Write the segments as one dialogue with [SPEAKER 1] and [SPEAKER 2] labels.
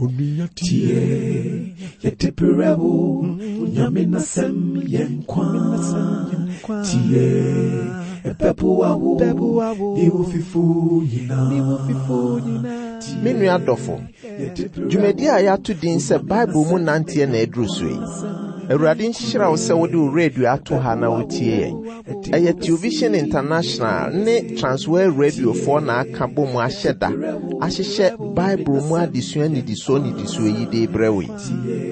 [SPEAKER 1] Tie, yɛde berɛ wo, Onyame n'asɛm yɛ nkwa. Tie, ɛbɛboa wo, ne wo fifo nyinaa.
[SPEAKER 2] Me nua dɔfo, dwumadi a yɛato din sɛ Bible mu nanteɛ na aduru so yi. Awurade nhyira wo sɛ wode wo radio ato ha na wotie yɛn. Ɛyɛ Television International ne Transworld Radiofoɔ na aka bɔ mu ahyɛ da ahyehyɛ Bible mu adesua nnidisoɔ nnidisoɔ yi de rebrɛ wo yi.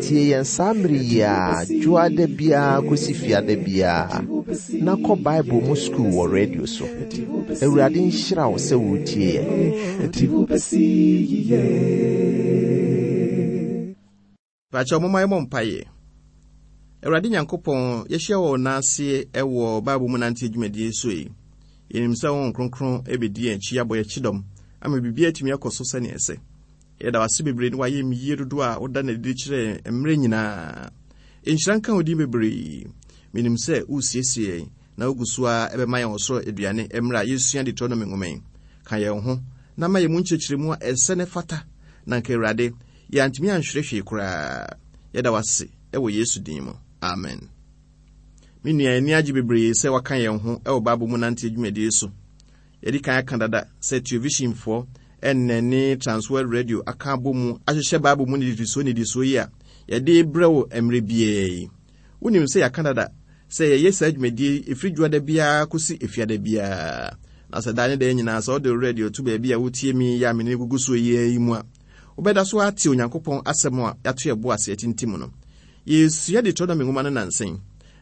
[SPEAKER 2] Tie yɛn saa mmere yi ara, dwoada biara kɔsi fiada biara, na kɔ Bible mu sukuu wɔ radio so. Awurade nhyira wo sɛ woretie yɛn.
[SPEAKER 3] Pakyɛw momma yɛmmɔ mpaeɛ. Awurade Nyankopɔn, yɛahyia wɔ wo nan ase wɔ Bible mu nanteɛ dwumadie so yi. Yɛnim sɛ Honhom Kronkron bɛdi yɛn akyi abɔ yɛn kyidɔm ama biribiara atumi akɔ so sɛnea ɛsɛ. Yɛda wo ase bebree ne w'ayamyie dodoɔ a woda no adi kyerɛ yɛn mmerɛ nyinaa. Nhyira nka wo din bebree. Menim sɛ woresiesie yɛn na wogu so ara bɛma yɛn ɔsoro aduane mmerɛ a yɛresua Deuteronomy nwoma yi. Ka yɛn ho na ma yɛn mu nkyerɛkyerɛmu a ɛsɛ na ɛfata na anka Awurade Yɛantumi anhwere hwee koraa. Yɛda wo ase wɔ Yesu din mu. Amen. Me nua, yɛn ani agye bebree sɛ waka yɛn ho wɔ Bible mu nanteɛ dwumadie so. Yɛadi kan aka dada sɛ Televisionfoɔ ɛnnɛ ne Transworld Radio aka abɔ mu ahyehyɛ Bible mu nnidisoɔ nnidisoɔ yi a yɛde rebrɛ wo mmerɛ biara yi. Wonim sɛ yɛaka dada sɛ yɛyɛ saa dwumadie yi ɛfiri dwoada biara kɔsi efiada biara. Na sɛ daa ne daa nyinaa sɛ wode wo radio to baabi a wotie me yi a me ne gugu soɔ yi ara yi mu a, wobɛda so ate Onyankopɔn asɛm a yɛato yɛn bo ase atintim no. Yɛresua Deuteronomy nwoma no nnansa yi,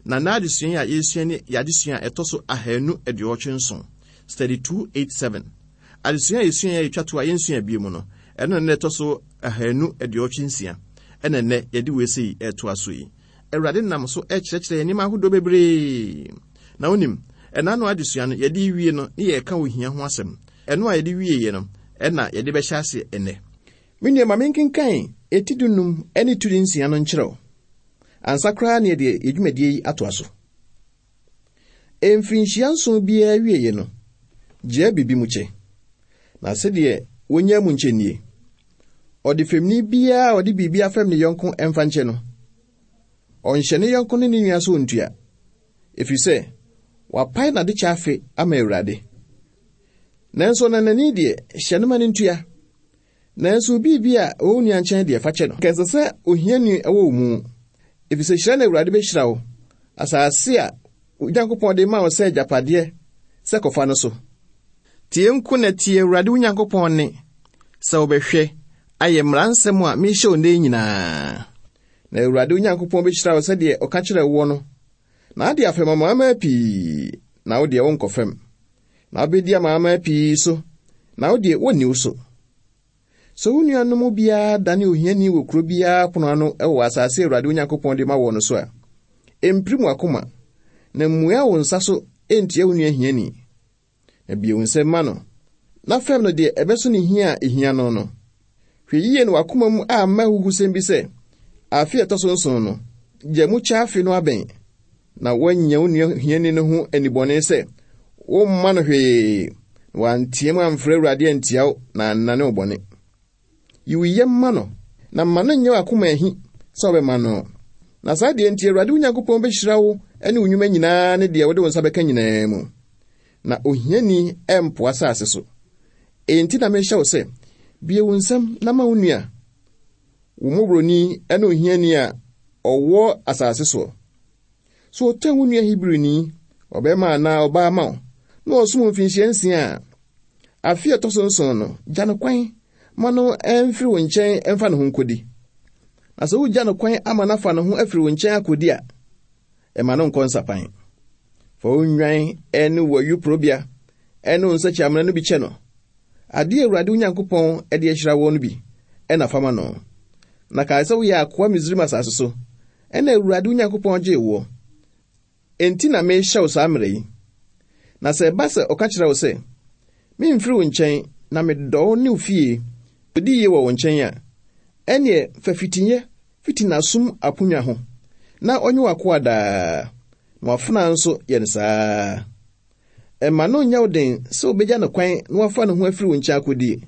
[SPEAKER 3] na nnɛ adesua yi a yɛresua ne yɛn adesua a ɛtɔ so 287, Study 287. Adesua a yɛsuae a ɛtwa to a yɛnsua bio mu no, ɛno na nnɛ ɛtɔ so 286, ɛna nnɛ yɛde wei sei retoa so yi. Awurade nam so rekyerɛkyerɛ yɛn nneɛma ahodoɔ bebree. Na wonim, ɛna ano adesua no, yɛde wie no, ne yɛreka ohia ho asɛm. Ɛno a yɛde wieeɛ no, ɛna yɛde bɛhyɛ aseɛ ɛnnɛ. Me nua, ma menkenkan eti dunum ne turi nsia no nkyerɛ wo, ansa koraa na yɛde yɛn dwumadie yi atoa so. Mfirinhyia nson biara awieeɛ no, gyaa biribi mu kyɛ. Na sɛdeɛ wɔnyaa mu nkyɛ nie. Ɔdefɛmni biara a ɔde biribi afɛm ne yɔnko mfa nkyɛ no, ɔnhyɛ ne yɔnko ne ne nua so ɔntua, ɛfiri sɛ wapae n'adekyɛ afe ama Awurade. Nanso ɔnanani deɛ, hyɛ no ma no ntua. Nanso biribi a ɛwɔ wo nua nkyɛn deɛ, fa kyɛ no. Anka ɛsɛ sɛ ohiani wɔ wo mu, efisɛ hyira na Awurade bɛhyira wo, asase a wo Nyankopɔn de rema wo sɛ agyapadeɛ sɛ kɔfa no so. Tie nko na tie Awurade wo Nyankopɔn nne, sɛ wobɛhwɛ ayɛ mmara nsɛm a merehyɛ wo nnɛ yi nyinaa. Na Awurade wo Nyankopɔn bɛhyira wo sɛdeɛ ɔka kyerɛɛ woɔ no, na ade afɛm amanaman pii, na wo deɛ wonkɔfɛm. Na wobɛdi amanaman pii so, na wo deɛ wɔnni wo so. Sɛ wo nuanom mu biara dane ohiani wɔ kuro biara pono ano wɔ asase a Awurade wo Nyankopɔn de ma wɔ no so a, mpirim w'akoma, na mmua wo nsa so ntia wo nua hiani. Na bue wo nsam ma no, na fɛm no deɛ ɛbɛso ne hia a ehia no no. Hwɛ yiye na w'akoma mu amma ahuhusɛm bi sɛ, Afe a ɛtɔ so nson no, gya mu kyɛ afe no abɛn, na woannya wo nua hiani no ho anibɔne sɛ womma no hwee, na wanteɛm amfrɛ Awurade antia wo na annane wo bɔne. Yi wo yam ma no, na mma no nyɛ w'akoma ahi sɛ wobɛma no. Na saa deɛ nti Awurade wo Nyankopɔn bɛhyira wo ne wo nnwuma nyinaa ne deɛ wode wo nsa bɛka nyinaa mu. Na ohiani rempo asase so. Enti na mehyɛ wo sɛ, bue wo nsam na ma wo nua, wo mmɔborɔni ne ohiani a ɔwɔ asase soɔ. So ɔtɔn wo nua Hebrini, ɔbarima anaa ɔbaa ma wo, na ɔsom mfinhyia nsia a, afe a ɛtɔ so nson no, gya no kwan ma no mfiri wo nkyɛn mfa ne ho nkɔdi. Na sɛ wogya no kwan ama no afa ne ho afiri wo nkyɛn akɔdi a, ɛma no nkɔ nsapan. Fa wo nnwan ne w'ayuporobea ne wo nsakyiamena no bi kyɛ no. Ade a Awurade wo Nyankopɔn de ahyira wo no bi na fa ma no. Na kae sɛ woyɛ akoa Misraim asase so, ɛnna Awurade wo Nyankopɔn gyee woɔ. Enti na merehyɛ wo saa mmara yi. Na sɛ ɛba sɛ ɔka kyerɛ wo sɛ, Meremfiri wo nkyɛn, na medɔ wo ne wo fie, di yie wɔ wo nkyɛn a, ɛnneɛ fa fitiiɛ fiti n'asom aponnwa ho, na ɔnyɛ w'akoa daa, na w'afenaa nso yɛ no saa ara. Mma no nnyɛ wo den sɛ wobegya no kwan na wafa ne ho afiri wo nkyɛn akodi.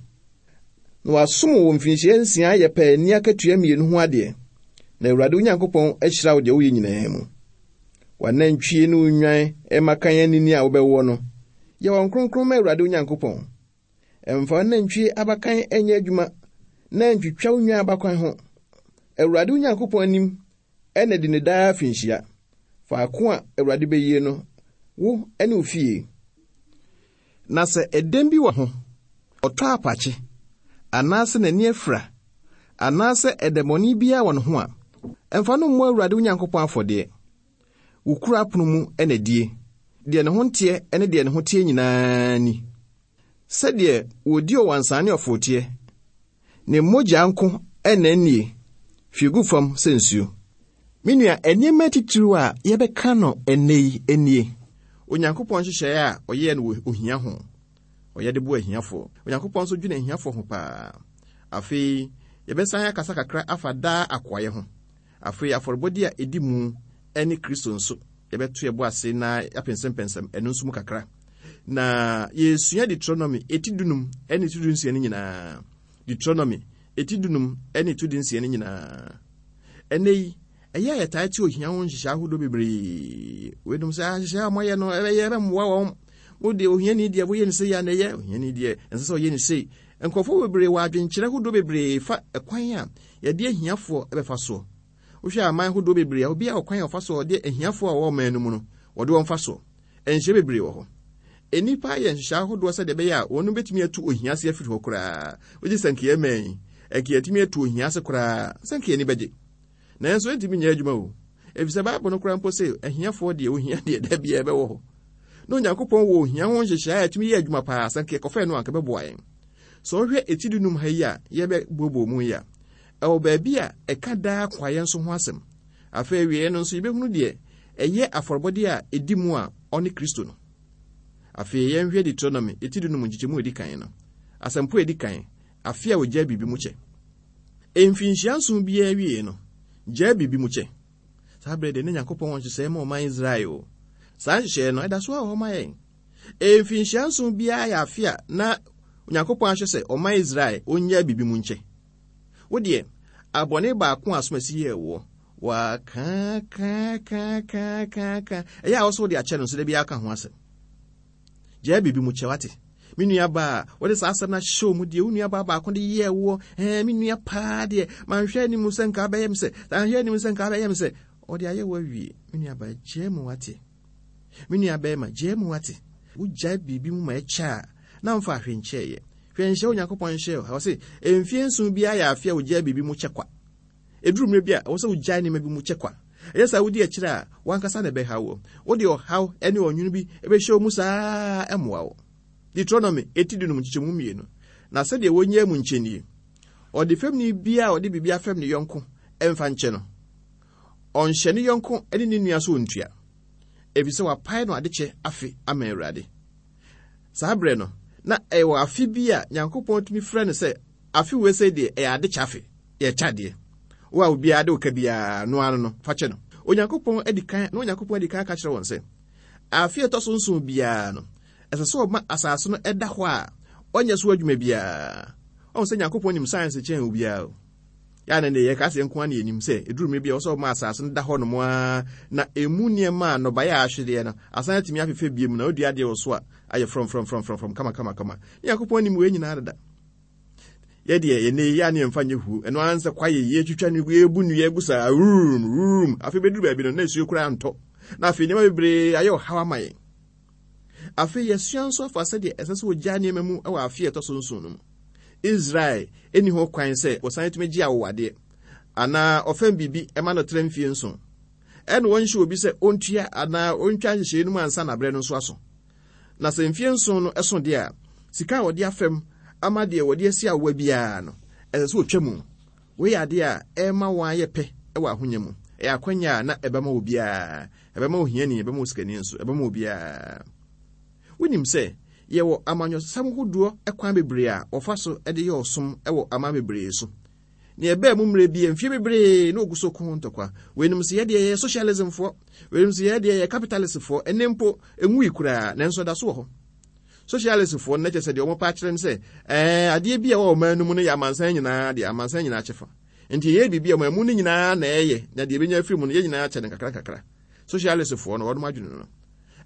[SPEAKER 3] Na wasom wo mfirinhyia nsia ayɛ paani akatua mmienu ho adeɛ, na Awurade wo Nyankopɔn ahyira wo deɛ woyɛ nyinaa mu. W'anantwie ne wo nnwan mmakan anini a wobɛwoɔ no, yɛ wɔn kronkron ma Awurade wo Nyankopɔn. Mfa w'anantwie abakan nyɛ adwuma na ntwitwa wo nnwan abakan ho. Awurade wo Nyankopɔn anim na di no daa afinhyia, faako a Awurade bɛyie no, wo ne wo fie. Na sɛ ɛdɛm bi wɔ ho, ɔtɔ apakye, anaasɛ n'ani afira, anaasɛ ɛdɛmmɔne biara wɔ ne ho a, mfa no mmɔ Awurade wo Nyankopɔn afɔdeɛ. Wo kuro apono mu na die, deɛ ne ho nteɛ ne deɛ ne ho teɛ nyinaa ni. Sɛdeɛ wɔdi ɔwansaa ne ɔforoteɛ, Ne mogya nko na ennie, hwie gu fam sɛ nsuo. Me nua, nneɛma atitiriw a yɛbɛka no ɛnnɛ yi nie. Onyankopɔn nhyehyɛe a ɔyɛɛ no wɔ ohia ho. Ɔyɛ de boa ahiafoɔ. Onyankopɔn nso dwene ahiafoɔ ho paa. Afei, yɛbɛsan akasa kakra afa daa akoayɛ ho. Afei, afɔrebɔdeɛ a ɛdi mu ne Kristo nso, yɛbɛto yɛn bo ase na yɛapɛnsɛmpɛnsɛm ɛno nso mu kakra. Na yɛresua Deuteronomy eti dunum ne eti dunsia no nyinaa. Deuteronomy eti dunum ne eti dunsia no nyinaa. Ɛnɛ yi, ɛyɛ a yɛtaa te ohia ho nhyehyɛ ahodoɔ bebree. Weinom sɛ ah, nhyehyɛ a wɔayɛ no ɛbɛyɛ ɛbɛmmoa wɔn. Mo deɛ ohiani deɛ woyɛ ne sei a na ɛyɛ ohiani deɛ ɛnsɛ sɛ ɔyɛ ne sei. Nkurɔfoɔ bebree wɔ adwenkyerɛ hodoɔ bebree fa ɛkwan a yɛde ahiafoɔ bɛfa soɔ. Wohwɛ aman hodoɔ bebree a, obiara wɔ kwan a ɔfa so a ɔde ahiafoɔ a wɔwɔ ɔman no mu no, wɔde wɔn fa soɔ. Nhyɛ bebree wɔ hɔ. Nnipa ayɛ nhyehyɛe ahodoɔ sɛdeɛ ɛbɛyɛ a wɔn bɛtumi atu ohia ase afiri hɔ koraa. Wogye sɛ nka yɛn man yi, nka yɛatumi atu ohia ase koraa, sɛ nka yɛn ani bɛgye. Nanso ɛntumi nyɛ adwuma o. Efisɛ Bible no koraa mpo se ahiafoɔ deɛ ohia deɛ da biara ɛbɛwɔ hɔ. Na Onyankopɔn wɔ ohia ho nhyehyɛe a ɛtumi yɛ adwuma paa, sɛ nka yɛkɔfɛɛ no a anka ɛbɛboa yɛn. Sɛ wohwɛ eti dunum ha yi a yɛbɛbooboo mu yi a, ɛwɔ baabi a ɛka daa kwaeɛ nso ho asɛm. Afei awieeɛ no nso yɛbɛhunu deɛ ɛyɛ afɔrebɔdeɛ a ɛdi mu a ɔne Kristo no. Afei yɛnhwɛ Deuteronomy eti dunum nkyekyɛmu a ɛdi kan no. Asɛmpo a ɛdi kan, afe a wɔgyae biribi mu kyɛ. Mfinhyia nson biara awiei no, gyaa biribi mu kyɛ. Saa berɛ deɛ na Nyankopɔn wɔ nhyehyɛeɛ ma ɔman Israel o. Saa nhyehyɛeɛ no, ɛda so ara wɔ hɔ ma yɛn. Mfinhyia nson biara yɛ afe a na Onyankopɔn ahyɛ sɛ ɔman Israel ɔnnyaa biribi mu nkyɛ. Wo deɛ, abɔne baako a asomasi yɛɛ woɔ, wɔakaakaakaakaaka, ɛyɛ a wo so wode akyɛ no nso da biara ka ho asɛm. Gyaa biribi mu kyɛ, wate? Me nua baa, wode saa asɛm no ahyɛ wo mu deɛ, wo nua baa baako de yɛɛ woɔ, ɛɛ, me nua paa deɛ, manhwɛ anim sɛ nka abɛyɛ me sɛ, manhwɛ anim sɛ nka abɛyɛ me sɛ, ɔde ayɛ wo awie. Me nua baa, gyaa mu, wate? Me nua bɛrima, gyaa mu, wate? Wogyae biribi mu ma ɛkyɛ a, na mfa ahwe nkyɛeɛ. Hwɛ nhyɛ Onyankopɔn nhyɛ o. Ɔse, mfie nson biara yɛ afe a wogyaa biribi mu kyɛ kwa. Ɛduru mmerɛ bi a, ɛwɔ sɛ wogyae nneɛma bi mu kyɛ kwa. Ɛnyɛ saa wodi akyire a, w'ankasa na ɛbɛhaw wo. Wode ɔhaw ne ɔnwono bi bɛhyɛ wo mu saa ara ɛmmoa wo. Deuteronomy, eti dunum nkyekyɛmu mmienu. Na sɛdeɛ wɔnyaa mu nkyɛ nie, Ɔdefɛmni biara a ɔde biribi afɛm ne yɔnko mfa nkyɛ no, ɔnhyɛ ne yɔnko ne ne nua so ɔntua, ɛfiri sɛ wapae no adekyɛ afe ama Awurade. Saa berɛ no, na ɛwɔ afe bi a Nyankopɔn tumi frɛ no sɛ afe wei sɛ deɛ ɛyɛ adekyɛ afe. Yɛkyɛ adeɛ. Wo a obiara de wo ka biara, no ara no, fa kyɛ no. Onyankopɔn adi kan, na Onyankopɔn adi kan aka kyerɛ wɔn sɛ, afe a ɛtɔ so nson biara no, ɛsɛ sɛ ɔma asase no da hɔ a ɔnyɛ so adwuma biara. Ɔhu sɛ Nyankopɔn nim science kyɛn obiara o. Yɛ a na yɛka sɛ nko ara na yɛnim sɛ ɛduru mmerɛ bi a ɛwɔ sɛ ɔma asase no da hɔ nom ara na ɛmu nneɛma a nnɔbaeɛ a ahwedeɛ no asan atumi afefɛ biom na wodua adeɛ wɔ so a ayɛ frɔmfrɔmfrɔmfrɔm kama kama kama. Ne Nyankopɔn nim wei nyinaa dada. Yɛ deɛ yɛnɛ yi a ne yɛmfa nyɛ huo ɛno ara nsɛ kwaeɛ yi yɛtwitwa no yɛbu nnua gu saa wurum wurum afei bɛduru baabi no na nsuo koraa ntɔ na afei nneɛma bebree ayɛ ɔhaw ama yɛn. Afei yɛsua nso afa sɛdeɛ ɛsɛ sɛ wɔgyaa nneɛma mu wɔ afe a ɛtɔ so nson no mu. Israel nni ho kwan sɛ wɔsan tumi gye awowadeɛ anaa ɔfɛm biribi ma no tra mfie nson. Ɛna wɔnhyɛ obi sɛ ɔntua anaa ɔntwa nhyehyɛeɛ no mu ansa na berɛ no nso aso. Na sɛ mfeɛ nson no so deɛ a, sika a wɔde afɛm ama deɛ wɔde asi awowa biara no, ɛsɛ sɛ wɔtwa mu. Wei yɛ adeɛ a ɛrema wɔayɛ pɛ wɔ ahonya mu. Ɛyɛ akwanya a na ɛbɛma obiara. Ɛbɛma ohiani, ɛbɛma osikani nso, ɛbɛma obiara. Wonim sɛ yɛwɔ amanyɔsɛm hodoɔ kwan bebree a wɔfa so de yɛ ɔsom wɔ aman bebree so. Nea ɛbaa mu mmerɛ bi, mfeɛ bebree na wɔgu so ko ho ntɔkwa. Weinom sɛ yɛdeɛ yɛyɛ socialismfoɔ, weinom sɛ yɛdeɛ yɛyɛ capitalistfoɔ, ɛnɛ mpo ɛnwui koraa, nanso ɛda so wɔ hɔ. Socialistfoɔ no na kyerɛ sɛ deɛ wɔpɛ akyerɛ ne sɛ, ɛɛ, adeɛ bi a ɛwɔ ɔman no mu no yɛ amansan nyinaa deɛ, amansan nyinaa kyɛfa. Nti yɛyɛ biribi a ɔman mu no nyinaa na ɛyɛ, na deɛ ɛbɛnya afiri mu no, yɛn nyinaa kyɛ no nkakra nkakra. Socialistfoɔ no, wɔnom adwene no no.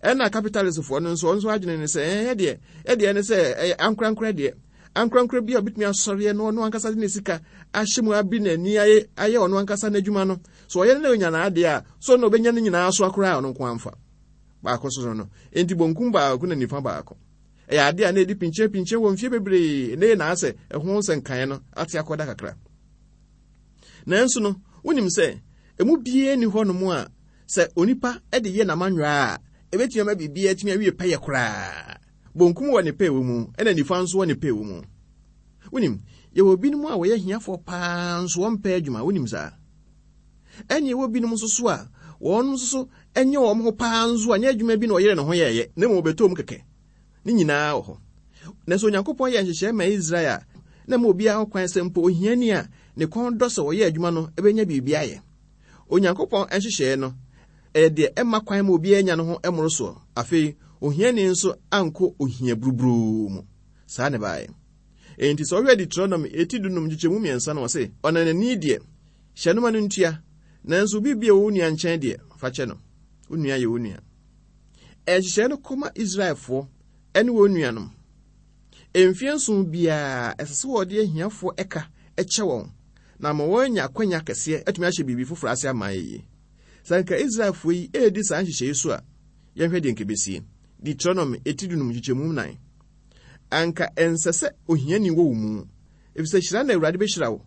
[SPEAKER 3] Ɛna capitalistfoɔ no nso, wɔn nso adwene ne sɛ, ɛɛ, ɛdeɛ, ɛdeɛ ne sɛ, ɛyɛ ankorankorɛ deɛ. Ankorankorɛ bi a ɔbɛtumi asɔreɛ no, ɔno ankasa de ne sika ahyɛ mu abi n'ani ayɛ, ayɛ ɔno ankasa n'adwuma no. So ɔyɛ no na ɔnya n'adeɛ a, so na ɔbɛnya ne nyinaa so akoraa a ɔno nko amfa. Baako so no no. Enti bonkum baako na nifa baako. Ɛyɛ adeɛ a na ɛdi pinkyɛn-pinkyɛn wɔ mfeɛ bebree, na ɛyɛ na asɛ ɛho nsɛnkaeɛ no ate akɔda kakra. Nanso no, wonim sɛ emu biara nni hɔnom a sɛ onipa de yɛ n'amanyɔ a, ɛbɛtumi ama biribiara atumi awie pɛyɛ koraa. Bonkum wɔ ne pɛ wɔ mu, ɛna nifa nso wɔ ne pɛ wɔ mu. Wonim, yɛwɔ binom a wɔyɛ ahiafoɔ paa nso wɔmpɛ adwuma, wonim saa? Ɛne ɛwɔ binom nso so a wɔn nso so nyɛ wɔn ho paa nso a nyɛ adwuma bi na ɔyere ne ho yɛɛyɛ, na mmom wɔbɛtɔ mu kɛkɛ. Ne nyinaa wɔ hɔ. Nanso Onyankopɔn yɛɛ nhyehyɛe ma Israel a na ɛma obiara ho kwan sɛ mpo ohiani a ne kɔn dɔ sɛ ɔyɛ adwuma no benya biribi ayɛ. Onyankopɔn nhyehyɛe no, ɛyɛ deɛ ɛmma kwan ma obiara nya ne ho mmorosoɔ. Afei, ohiani nso ankɔ ohia buruburoo mu. Saa na ɛbaeɛ. Enti sɛ wohwɛ Deuteronomy eti dunum nkyekyɛmu mmiɛnsa no, ɔse, Ɔnanani deɛ, hyɛ no ma no ntua, nanso biribi a ɛwɔ wo nua nkyɛn deɛ, fa kyɛ no. Wo nua yɛ wo nua. Nhyehyɛe no kɔma Israelfoɔ ne wɔn nuanom. Mfeɛ nson biara, ɛsɛ sɛ wɔde ahiafoɔ ɛka kyɛ wɔn, na ama wɔanya akwanya kɛseɛ atumi ahyɛ biribi foforɔ ase ama ayɛ yie. Sɛ anka Israelfoɔ yi redi saa nhyehyɛe yi so a, yɛnhwɛ deɛ anka ɛbɛsie. Deuteronomy eti dunum nkyekyɛmu nnan. Anka ɛnsɛ sɛ ohiani wɔ wo mu, efisɛ hyira na Awurade bɛhyira wo,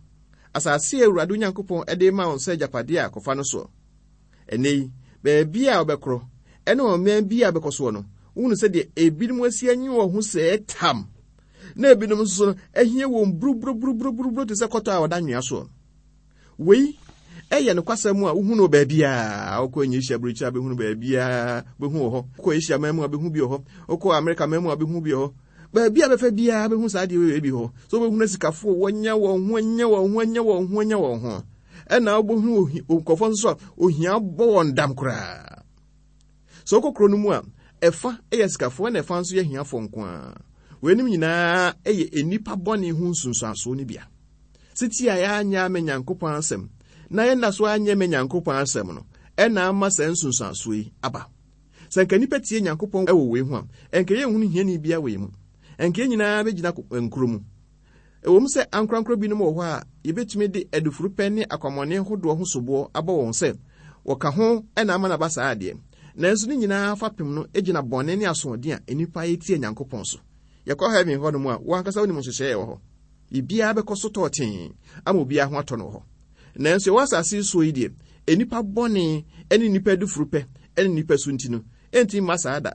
[SPEAKER 3] asase a Awurade wo Nyankopɔn de rema wo sɛ agyapadeɛ a kɔfa no soɔ. Ɛnnɛ yi, baabi a wobɛkorɔ ne ɔman bi a wobɛkɔ soɔ no, wohunu sɛdeɛ ebinom asi anyi wɔn ho sɛɛ tam, na ebinom nso so no, ahia wɔn buruburuburuburuburu te sɛ kɔtɔ a ɔda nwea soɔ. Wei ɛyɛ nokwasɛm a wohu no baabiara. Wokɔ Asia aburokyiri a bɛhunu baabiara, bɛhu wɔ hɔ. Wokɔ Asia man mu a bɛhu bi wɔ hɔ. Wokɔ Amerika man mu a bɛhu bi wɔ hɔ. Baabi a bɛfa biara bɛhu saa adeɛ wei bi hɔ. So wobɛhunu asikafoɔ wɔanya wɔn ho anya wɔn ho anya wɔn ho anya wɔn ho. Ɛna wobɛhunu nkurɔfoɔ nso a ohia bɔ wɔn dam koraa. Sɛ wokɔ kuro no mu a, ɛfa yɛ asikafoɔ na ɛfa nso yɛ ahiafoɔ nko ara. Weinom nyinaa yɛ nnipa bɔne ho nsunsuansoɔ no bia. Siti a yɛanyɛ ama Nyankopɔn asɛm na yɛnna so anyɛ ma Nyankopɔn asɛm no, ɛna ama saa nsunsuansoɔ yi aba. Sɛ anka nnipa tie Nyankopɔn wɔ wei ho a, anka yɛnhunu hiani biara wɔ yɛn mu. Anka yɛn nyinaa bɛgyina nkuro mu. Ɛwom sɛ ankorankoro binom wɔ hɔ a yɛbɛtumi de adufurupɛ ne akwammɔne hodoɔ ho soboɔ abɔ wɔn sɛ wɔka ho na ama no aba saa deɛ, nanso ne nyinaa fapem no gyina bɔne ne asoɔden a nnipa yɛ tia Nyankopɔn so. Yɛkɔ heaven hɔ nom a, wo ankasa wonim nhyehyɛe a ɛwɔ hɔ. Biribiara bɛkɔ so tɔɔtee ama obiara ho atɔ no wɔ hɔ. Nanso yɛwɔ asase yi soɔ yi deɛ, nnipa bɔne ne nnipa adufurupɛ ne nnipa su nti no, ɛntumi mma saa da.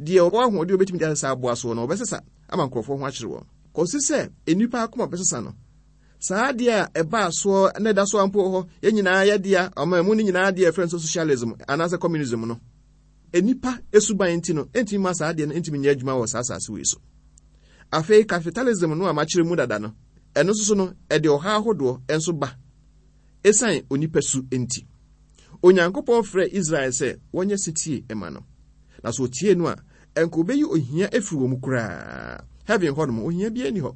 [SPEAKER 3] Deɛ ɔwɔ ahoɔden a ɔbɛtumi de asesa aboa soɔ no, ɔbɛsesa ama nkurɔfoɔ ho akyere wɔn. Kɔsi sɛ nnipa akoma bɛsesa no, saa adeɛ a ɛbaa soɔ na ɛda so ara mpo wɔ hɔ, yɛn nyinaa yɛ dea, ɔman mu no nyinaa deɛ yɛfrɛ no sɛ socialism anaasɛ communism no, nnipa suban nti no, ɛntumi mma saa adeɛ no ntumi nyɛ adwuma wɔ saa asase wei so. Afei capitalism no a makyerɛ mu dada no, ɛno nso so no, ɛde ɔhaw ahodoɔ nso ba esiane onipa su nti. Onyankopɔn frɛɛ Israel sɛ wɔnyɛ setie ma no. Na sɛ wɔtie no a, ɛnka obeyi ohia afiri wɔn mu koraa. Heaven hɔ nom, ohia biara nni hɔ.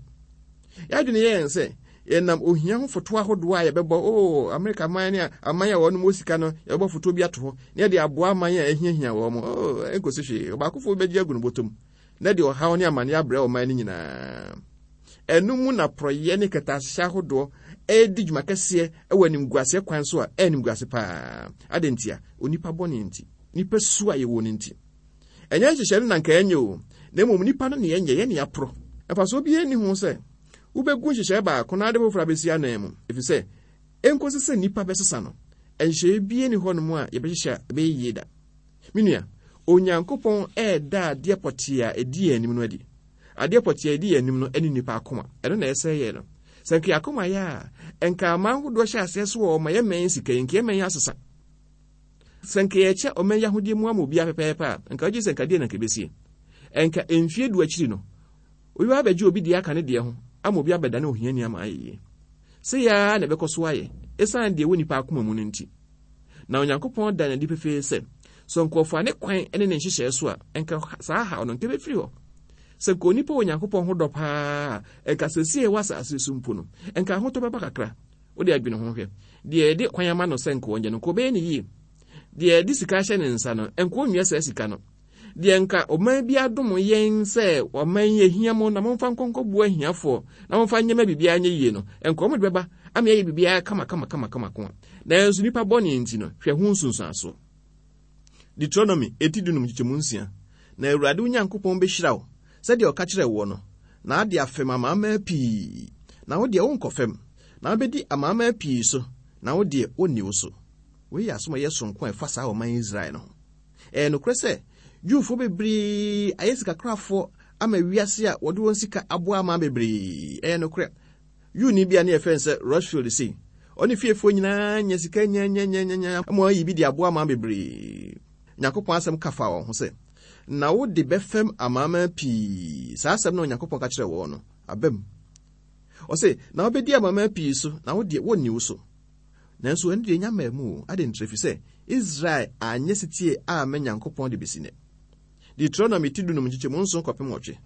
[SPEAKER 3] Yɛadwene yɛ yɛn sɛ yɛnam ohia ho foto ahodoɔ a yɛbɛbɔ, oh, Amerika man ne aman a wɔnom wɔ sika no, yɛbɛbɔ foto bi ato hɔ, na yɛde aboa aman a ahiahia wɔn. Oh, ɛnkɔsi hwee. Ɔbaakofoɔ bɛgye agu no bɔtɔm, na de ɔhaw ne amane abrɛ ɔman no nyinaa. Ɛno mu na porɔeɛ ne kɛtɛasehyɛ ahodoɔ redi dwuma kɛseɛ wɔ animguaseɛ kwan so a ɛyɛ animguase paa. Adɛn ntia? Onipa bɔne nti. Nipa su a yɛwɔ no nti. Ɛnyɛ nhyehyɛe no na anka ɛnyɛ o, na mmom nipa no na ɛnyɛ, yɛn na yɛaporɔ. Mfasoɔ biara nni ho sɛ wobɛgu nhyehyɛe baako na ade foforɔ abɛsi ananmu, efisɛ ɛnkɔsi sɛ nnipa bɛsesa no, nhyehyɛe biara nni hɔnom a yɛbɛhyehyɛ a ɛbɛyɛ yie da. Me nua, Onyankopɔn reda adeɛ pɔtee a ɛdi yɛn anim no adi. Adeɛ pɔtee a ɛdi yɛn anim no ne nnipa akoma. Ɛno na ɛsɛe yɛn no. Sɛ anka yɛn akoma yɛ a, anka aman ahodoɔ hyɛ aseɛ so wɔ ɔma yɛmmɛn sika yi, anka yɛmmɛn asesa. Sɛ nka yɛkyɛ ɔman yi ahodeɛ mu ama obiara pɛpɛɛpɛ a, nka wogye sɛ nka deɛ na nka ɛbɛsie. Nka mfie du akyiri no, obi bɛba abɛgye obi deɛ aka ne deɛ ho ama obi abɛdane ohiani ama ayɛ yie. Sei ara na ɛbɛkɔ so ayɛ, ɛsiane deɛ ɛwɔ nnipa akoma mu no nti. Na Onyankopɔn da no adi pefee sɛ, sɛ nkurɔfoɔ ne kwan ne ne nhyehyɛɛ so a, nka saa haw no nka ɛbɛfiri hɔ.
[SPEAKER 4] Sɛ nka onipa wɔ Nyankopɔn ho dɔ paa a, nka seesei ɛwɔ asase so mpo no, nka ahotɔ bɛba kakra. Wode adwene ho hwɛ. Deɛ yɛde kwan ama no sɛ nka ɔnyɛ no, nka ɔbɛyɛ no yie. Deɛ yɛde sika ahyɛ ne nsa no, nka ɔnwia saa sika no. Deɛ nka ɔman bi adom yɛn sɛ ɔman yi ahia mo na momfa nkɔnkɔboa ahiafoɔ na momfa nyɛ ma biribiara nyɛ yie no, nka wɔn de bɛba ama yɛayɛ biribiara kama kama kama kama ko a. Nanso nnipa bɔne nti no, hwɛ ho nsunsuansoɔ.
[SPEAKER 3] Deuteronomy eti dunum nkyekyɛmu nsia, Na Awurade wo Nyankopɔn bɛhyira wo sɛdeɛ ɔka kyerɛɛ woɔ no, na ade afɛm amanaman pii, na wo deɛ worenkɔ fam, na wobɛdi amanaman pii so, na wo deɛ wɔnni wo so. Wei yɛ asɛm a ɛyɛ soronko a ɛfa saa ɔman Israel no ho. Ɛyɛ nokorɛ sɛ Jewfoɔ bebree ayɛ sikakorafoɔ ama wiase a wɔde wɔn sika aboa aman bebree. Ɛyɛ nokorɛ. Jewni bi a ne yɛfrɛ no sɛ Rothschild sei, ɔne fiefoɔ nyinaa nya sika nyanyanyanyanya ma wɔayi bi de aboa aman bebree. Nyankopɔn asɛm ka fa wɔn ho sɛ, Na wode bɛfɛm amanaman pii. Saa asɛm no a Onyankopɔn ka kyerɛɛ wɔn no, aba mu. Ɔse, Na wobɛdi amanaman pii so, na wo deɛ, wɔnni wo so. Nanso ɛno deɛ ɛnya mmaa mu o. Adɛn nti? Ɛfiri sɛ Israel anyɛ setie amma Nyankopɔn de bɛsi nnɛ. Deuteronomy ti dunum nkyekyɛmu nson kɔpem nwɔtwe.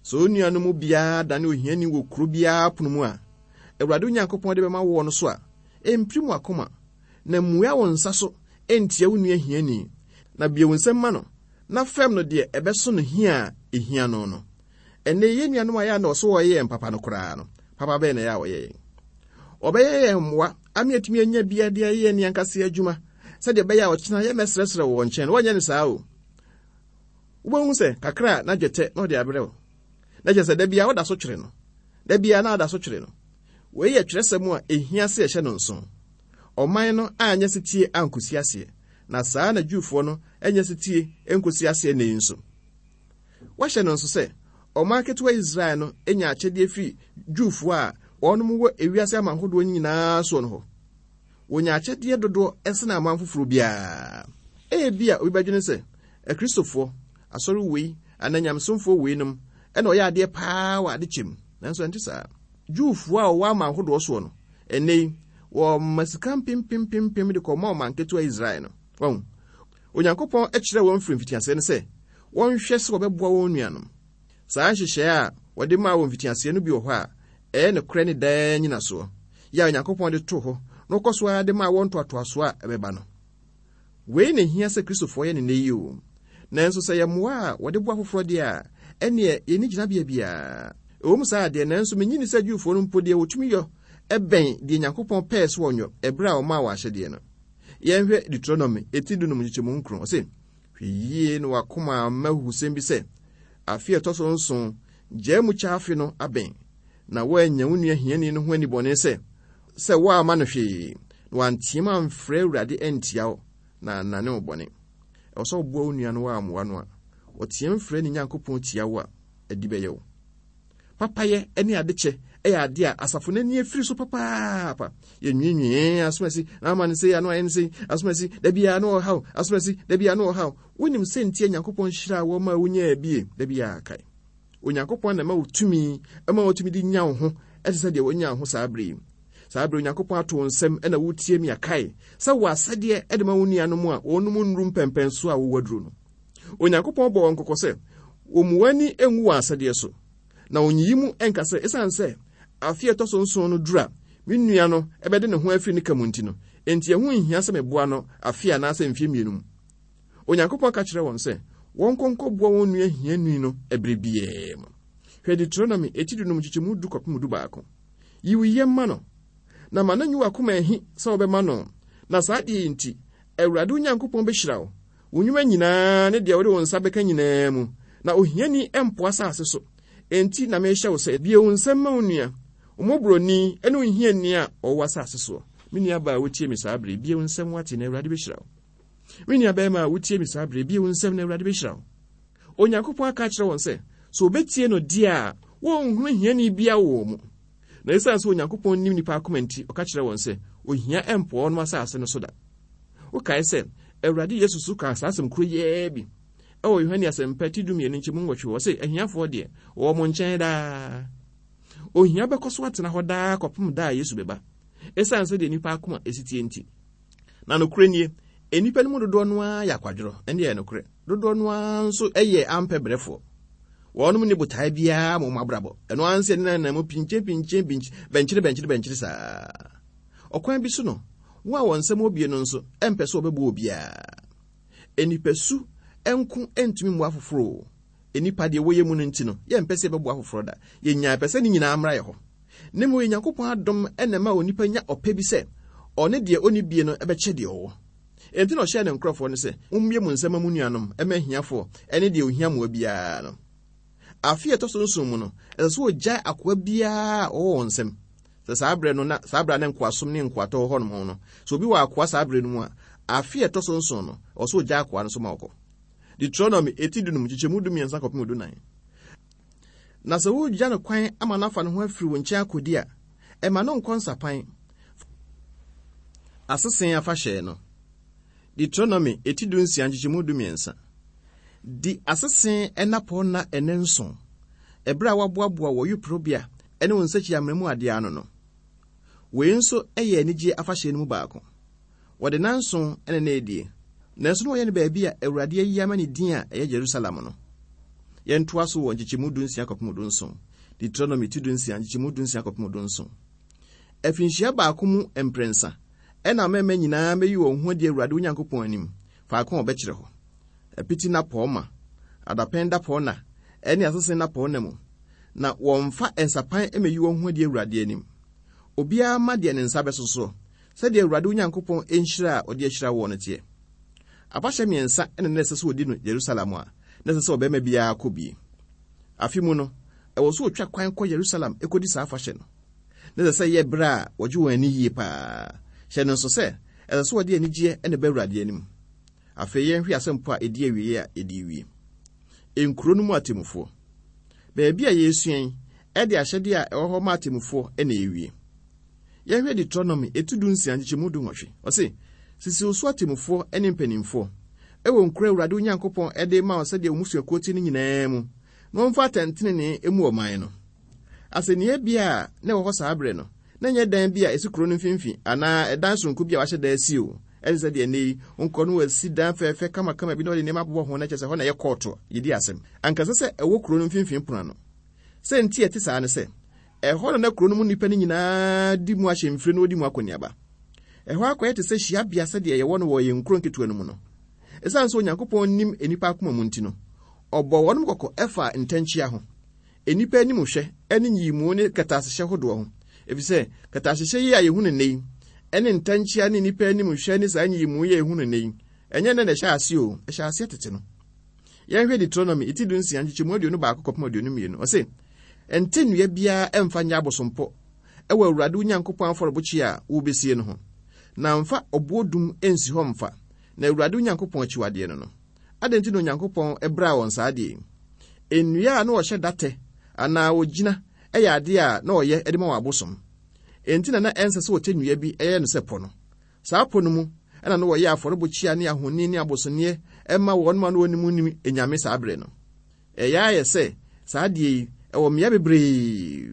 [SPEAKER 3] Sɛ onua no mu biara dane ohiani wɔ kuro biara pono mu a Awurade wo Nyankopɔn de bɛma woɔ no so a, mpirim w'akoma, na mmua wo nsa so ntia wo nua hiani, na bue wo nsam ma no, na fɛm no deɛ ɛbɛso no hia a ɛhia no no. Ɛnnɛ yi, yɛn nuanom a ɛyɛ a na wɔsɛ wɔyɛ yɛn papa no koraa no, papa bɛn na ɛyɛ a wɔyɛ yɛn? Wɔbɛyɛ yɛn mmoa ama yɛatumi anya bi de ayɛ yɛn ankasa adwuma sɛdeɛ ɛbɛyɛ a ɔkyena yɛmmɛsrɛsrɛ wɔ wɔn nkyɛn no, wɔnyɛ no saa o. Wobɛhu sɛ kakra a na dwetɛ na ɔde abrɛ wo. Na kyerɛ sɛ da biara woda so twere no. Da biara na ada so twere no. Wei yɛ twerɛsɛm a ɛhia sɛ yɛhyɛ no nso. Ɔman no anyɛ setie ankɔsi aseɛ, na saa na Jewfoɔ no nyɛ setie nkɔsi aseɛ nnɛ yi nso. Wɔahyɛ no nso sɛ ɔman ketewa Israel no nya akyɛdeɛ firi Jewfoɔ a wɔnom wɔ ewiase aman hodoɔ nyinaa soɔ no hɔ. Wɔnya akyɛdeɛ dodoɔ sene aman foforɔ biara. Ebia obi bɛdwene sɛ, Akristofoɔ, asɔre wei anaa nyamesomfoɔ weinom na wɔyɛ adeɛ paa wɔ adekyɛ mu. Nanso ɛnte saa. Jewfoɔ a wɔwɔ aman hodoɔ soɔ no, ɛnnɛ yi, wɔma sika mpempempempem de kɔma ɔman ketewa Israel no. Wahu? Onyankopɔn kyerɛɛ wɔn firi mfitiaseɛ no sɛ wɔnhwɛ sɛ wɔbɛboa wɔn nuanom. Saa nhyehyɛeɛ a wɔde maa wɔ mfitiaseɛ no bi wɔ hɔ a ɛyɛ nokorɛ ne daa nnyinasoɔ, yɛ a Onyankopɔn de too hɔ na ɔkɔ so ara de maa wɔn ntoatoasoɔ a ɛbɛba no. Wei na ɛhia sɛ Kristofoɔ yɛ no nnɛ yi o. Nanso sɛ ɛyɛ mmoa a wɔde boa afoforɔ deɛ a, ɛnneɛ yɛnni gyinabea biara. Ɛwom saa deɛ, nanso mennye nni sɛ Jewfoɔ no mpo deɛ wɔtumi yɔ bɛn deɛ Nyankopɔn pɛɛ sɛ wɔnyɔ ɛberɛ a ɔmaa wɔn ahyɛdeɛ no. Yɛnhwɛ Deuteronomy eti dunum nkyekyɛmu nkron. Ɔse, Hwɛ yie na w'akoma amma ahuhusɛm bi sɛ, afe a ɛtɔ so nson, gyaa mu kyɛ afe no abɛn, na woannya wo nua hiani no ho anibɔne sɛ, sɛ woamma no hwee, na wanteam amfrɛ Awurade antia wo, na annane wo bɔne. Ɛwɔ sɛ woboa wo nua no woammoa no a, ɔteam frɛ ne Nyankopɔn tia wo a, adi bɛyɛ wo. Papayɛ ne adekyɛ yɛ adeɛ a asafo no ani afiri so papaapa. Yɛnwiinwii, ee, asomasi, na ama no sei, ano ayɛ no sei, asomasi, da biara na ɔhaw, asomasi, da biara na ɔhaw. Wonim sɛ nti a Nyankopɔn hyiraa wɔn ma wonyaa bie, da biara kae. Onyankopɔn na ɛma wo tumi, ɛma wotumi de nya wo ho, ɛte sɛ deɛ wonya wo ho saa bere yi. Saa bere Onyankopɔn ato wo nsam na wotie mi akae sɛ wɔ asɛdeɛ de ma wo nuanom a wɔnom nnuru mpɛmpɛnso a wowɔ aduro no. Onyankopɔn bɔ wɔn kɔkɔ sɛ wɔmmu wɔn ani ngu wɔn asɛdeɛ so, na wɔnyiyi mu nka sɛ esiane sɛ afe a ɛtɔ so nson no duru a me nua no bɛde ne ho afiri ne ka mu nti no, enti ɛho nhia sɛ meboa no afe anaasɛ mfeɛ mmienu mu. Onyankopɔn ka kyerɛ wɔn sɛ wɔnkɔ nkɔboa wɔn nua hiani no ɛberɛ biara mu. Hwɛ Deuteronomy eti dunum nkyekyɛmu du kɔpem dubaako. Yi wo yam ma no, na ma no nyi w'akoma ahi sɛ wobɛma no, na saa adeɛ yi nti, Awurade wo Nyankopɔn bɛhyira wo wo nnwuma nyinaa ne deɛ wode wo nsa bɛka nyinaa mu, na ohiani mpo asase so. Enti na mehyɛ wo sɛ, bue wo nsam ma wo nua, wo mmɔborɔni ne wo hiani a ɔwɔ w'asase soɔ. Me nuabaa a wotie me saa berɛ yi, bue wo nsam woate na Awurade bɛhyira wo. Me nuabarima a wotie me saa berɛ yi, bue wo nsam na Awurade bɛhyira wo. Onyankopɔn aka akyerɛ wɔn sɛ, sɛ wɔbɛtie no deɛ a, wɔnhunu hiani biara wɔ wɔn mu. Na esiane sɛ Onyankopɔn nim nnipa akoma nti, ɔka kyerɛɛ wɔn sɛ, ohia mpoa wɔn asase no so da. Wokae sɛ, Awurade Yesu nso kaa saa asɛm koro yi ara bi wɔ Yohane Asɛmpa ti dumienu nkyɛmu nwɔtwe hɔ, ɔse, Ahiafoɔ deɛ, wɔwɔ mo nkyɛn daa. Ohia bɛkɔ so atena hɔ daa kɔpem da a Yesu bɛba, esiane sɛdeɛ nnipa akoma si teɛ nti. Na nokorɛ nie, nnipa no mu dodoɔ no ara yɛ akwadworɔ, ɛnde ɛyɛ nokorɛ. Dodoɔ no ara nso yɛ ampɛ brɛfoɔ. Wɔnom nni botae biara ma wɔn abrabɔ. Ɛno ara ne sɛ nenam mu pinkyen pinkyen bɛnkyere bɛnkyere bɛnkyere saa. Ɔkwan bi so no, wɔn a wɔn nsam wɔ bie no nso mpɛ sɛ wɔbɛboa obiara. Nnipasu nko ntumi mmoa afoforo o. Nnipa deɛ wɔyɛ mu no nti no, yɛmpɛ sɛ yɛbɛboa afoforɔ da. Yɛnyaa pɛ sɛ ne nyinaa mmra yɛ hɔ. Na mmom Onyankopɔn adom na ɛma onipa nya ɔpɛ bi sɛ ɔne deɛ ɔnni bie no bɛkyɛ deɛ ɔwɔ. Enti na ɔhyɛɛ ne nkurɔfoɔ no sɛ, Mommue mo nsa mma mo nuanom, mma ahiafoɔ ne deɛ ɔhia mmoa biara no. Afe a ɛtɔ so nson mu no, ɛsɛ sɛ wɔgyae akoa biara a ɔwɔ wɔn nsam. Sɛ saa berɛ no na saa berɛ a na nkoasom ne nkoatɔ wɔ hɔnom no, sɛ obi wɔ akoa saa berɛ no mu a, afe a ɛtɔ so nson no, ɛwɔ sɛ ɔgyae akoa no so ma ɔkɔ. Deuteronomy eti dunum nkyekyɛmu dumiɛnsa kɔpem dunan. Na sɛ woregya no kwan ama no afa ne ho afiri wo nkyɛn akɔdi a, ɛma no nkɔ nsapan. Asese afahyɛ no. Deuteronomy eti dunsia nkyekyɛmu dumiɛnsa. Di asese nnapɔnna nnanson, ɛberɛ a woaboaboa wɔ ayuporobea ne wo nsakyi-amena mu adeɛ ano no. Wei nso yɛ anigyeɛ afahyɛ no mu baako. Wɔde nnanson na na ɛredie, nanso na wɔyɛ no baabi a Awurade ayi ama ne din a ɛyɛ Jerusalem no. Yɛntoa so wɔ nkyekyɛmu dunsia kɔpem dunson, Deuteronomy ti dunsia nkyekyɛmu dunsia kɔpem dunson. Afinhyia baako mu mprɛnsa ɛna mmarima nyinaa bɛyi wɔn ho adi Awurade wo Nyankopɔn anim, faako a ɔbɛkyerɛ hɔ. Apiti nnapɔɔma, adapɛn dapɔnna, ɛne asese nnapɔnna mu, na wɔmfa nsapan mmɛyi wɔn ho adi Awurade anim. Obiara mma deɛ ne nsa bɛso soɔ, sɛdeɛ Awurade wo Nyankopɔn nhyira a ɔde ahyira woɔ no teɛ. Afahyɛ mmiɛnsa na na ɛsɛ sɛ wɔdi no Yerusalem a na ɛsɛ sɛ ɔbarima biara kɔ bi. Afe mu no, ɛwɔ sɛ wɔtwa kwan kɔ Yerusalem kɔdi saa afahyɛ no. Na ɛsɛ sɛ ɛyɛ berɛ a wɔgye wɔn ani yie paa. Hyɛ no nso sɛ, ɛsɛ sɛ wɔde anigyeɛ na ɛba Awurade anim. Afei yɛnhwɛ asɛmpɔ a ɛdi awieeɛ a yɛde rewie. Nkuro no mu atemmufoɔ. Baabi a yɛresua yi, ɛde ahyɛdeɛ a ɛwɔ hɔ ma atemmufoɔ na ɛrewie. Yɛnhwɛ Deuteronomy eti dunsia nkyekyɛmu dunwɔtwe. Ɔse, Sisi wo so atemmufoɔ ne mpanimfoɔ wɔ nkuro a Awurade wo Nyankopɔn de rema wo sɛdeɛ wo mmusuakuo te no nyinaa mu, na wɔmfa atɛntenenee mmu ɔman no. Asɛnniiɛ bea a na ɛwɔ hɔ saa berɛ no, na ɛnyɛ dan bi a ɛsi kuro no mfimfini anaa ɛdan soronko bi a wɔahyɛ da asi o. Ɛte sɛ deɛ nnɛ yi, wonkɔ no wɔasi dan fɛɛfɛ kamakama bi na wɔde nneɛma abobɔ ho na kyerɛ sɛ ɛhɔ na ɛyɛ kɔɔto a yɛdi asɛm. Anka ɛsɛ sɛ ɛwɔ kuro no mfimfini pono ano. Sɛ nti a ɛte saa ne sɛ, Ɛhɔ na na kuro no mu nnipa no nyinaa di mu ahyɛmfire na wɔdi mu akɔneaba. Ɛhɔ akɔyɛ te sɛ hyiabea sɛdeɛ yɛwɔ no wɔ yɛn nkuro nketewa no mu no. Ɛsiane sɛ Onyankopɔn nim nnipa akoma mu nti no, ɔbɔɔ wɔnom kɔkɔ faa ntɛnkyea ho, nnipa animhwɛ ne nyiyimu ne kɛtɛasehyɛ hodoɔ ho. Ɛfiri sɛ kɛtɛasehyɛ yi a yɛhu no nnɛ yi, ne ntɛnkyea ne nnipa animhwɛ ne saa nyiyimu yi a yɛhu no nnɛ yi, ɛnyɛ nnɛ na ɛhyɛɛ aseɛ o, ɛhyɛɛ aseɛ tete no. Yɛnhwɛ Deuteronomy ti dunsia nkyekyɛmu 21 kɔpem 22. Ɔse, Nte nnua biara mfa nyɛ abosompɔ wɔ Awurade wo Nyankopɔn afɔrebukyia a worebesie no ho, na mfa ɔboɔ dum nsi hɔ mfa, na Awurade wo Nyankopɔn akyiwadeɛ no no. Adɛn nti na Onyankopɔn braa wɔn saa adeɛ yi? Nnua a na wɔhyɛ da tɛ anaa wɔgyina yɛ adeɛ a na wɔyɛ de ma wɔn abosom. Enti na na ɛnsɛ sɛ wɔtɛ nnua bi yɛ no sɛ pɔ no. Saa pɔ no mu na na wɔyɛ afɔrebukyia ne ahoni ne abosonneɛ ma wɔn a na wɔnim nnim anyame saa berɛ no. Ɛyɛ ayɛ sɛ saa adeɛ yi wɔ mmea bebree.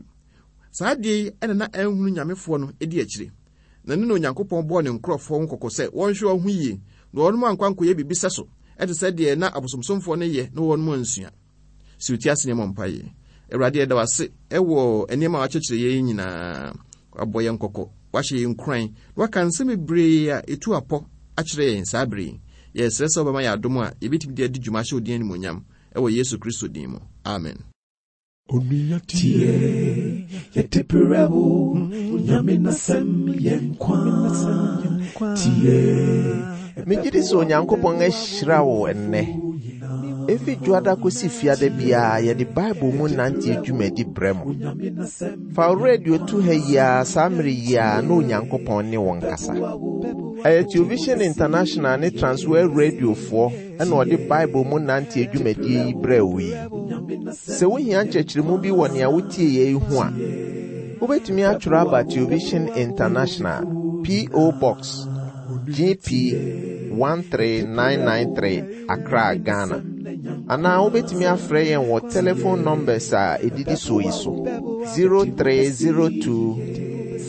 [SPEAKER 3] Saa adeɛ yi na na anhunu nyamefoɔ no di akyire. Na ɛno na Onyankopɔn bɔɔ ne nkurɔfoɔ ho kɔkɔ sɛ wɔnhwɛ wɔn ho yie na wɔn ankɔ ankɔyɛ biribi sɛso te sɛ deɛ na abosomsomfoɔ no yɛ na wɔn ansua. Si wo ti ase na yɛmmɔ mpaeɛ. Awurade, yɛda wo ase wɔ nneɛma a wakyerɛkyerɛ yɛn nyinaa. Wabɔ yɛn kɔkɔ, wahyɛ yɛn nkuran, na waka nsɛm bebree a ɛtu apɔ akyerɛ yɛn saa bere yi. Yɛsrɛ sɛ wobɛma yɛn adom a yɛbɛtumi de adi dwuma ahyɛ wo din animuonyam wɔ Yesu Kristo din mu. Amen.
[SPEAKER 1] Onua tie, yɛde brɛ wo, Nyame n'asɛm yɛ nkwa. Tie.
[SPEAKER 2] Megye di sɛ Onyankopɔn ahyira wo ɛnnɛ. Efi Dwoada kosi Fiada biara yɛde Bible mu nante dwumadi brɛ mo. Fa wo radio to ha yi ara saa mmere yi ara na Onyankopɔn ne wo nkasa. Ɛyɛ Television International ne Transworld Radiofoɔ na ɔde Bible mu nante dwumadie yi brɛɛ wo yi. Sɛ wohia nkyerɛkyerɛmu bi wɔ nea wotieeɛ yi ho a, wobɛtumi atwerɛ aba Television International, P.O. Box GP 13993, Accra, Ghana. Anaa wobɛtumi afrɛ yɛn wɔ telephone numbers a ɛdidi soɔ yi so 0302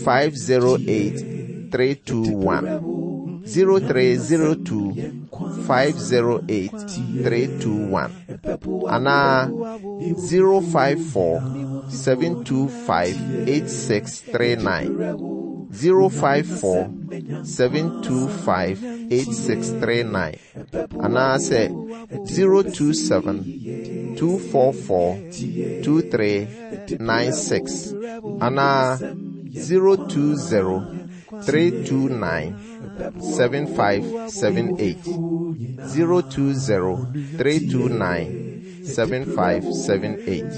[SPEAKER 2] 508 321 0302 508 321. Anaa 054 725 8639. 054 725 8639. Anaasɛ 027 244 2396 anaa 020 329 7578. 020 329 7578.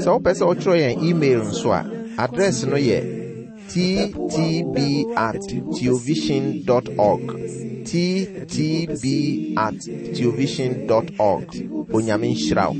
[SPEAKER 2] Sɛ wopɛ sɛ wotwerɛ yɛn email nso a, address no yɛ ttb at theovision dot org. ttb at theovision dot org. Onyame nhyira wo.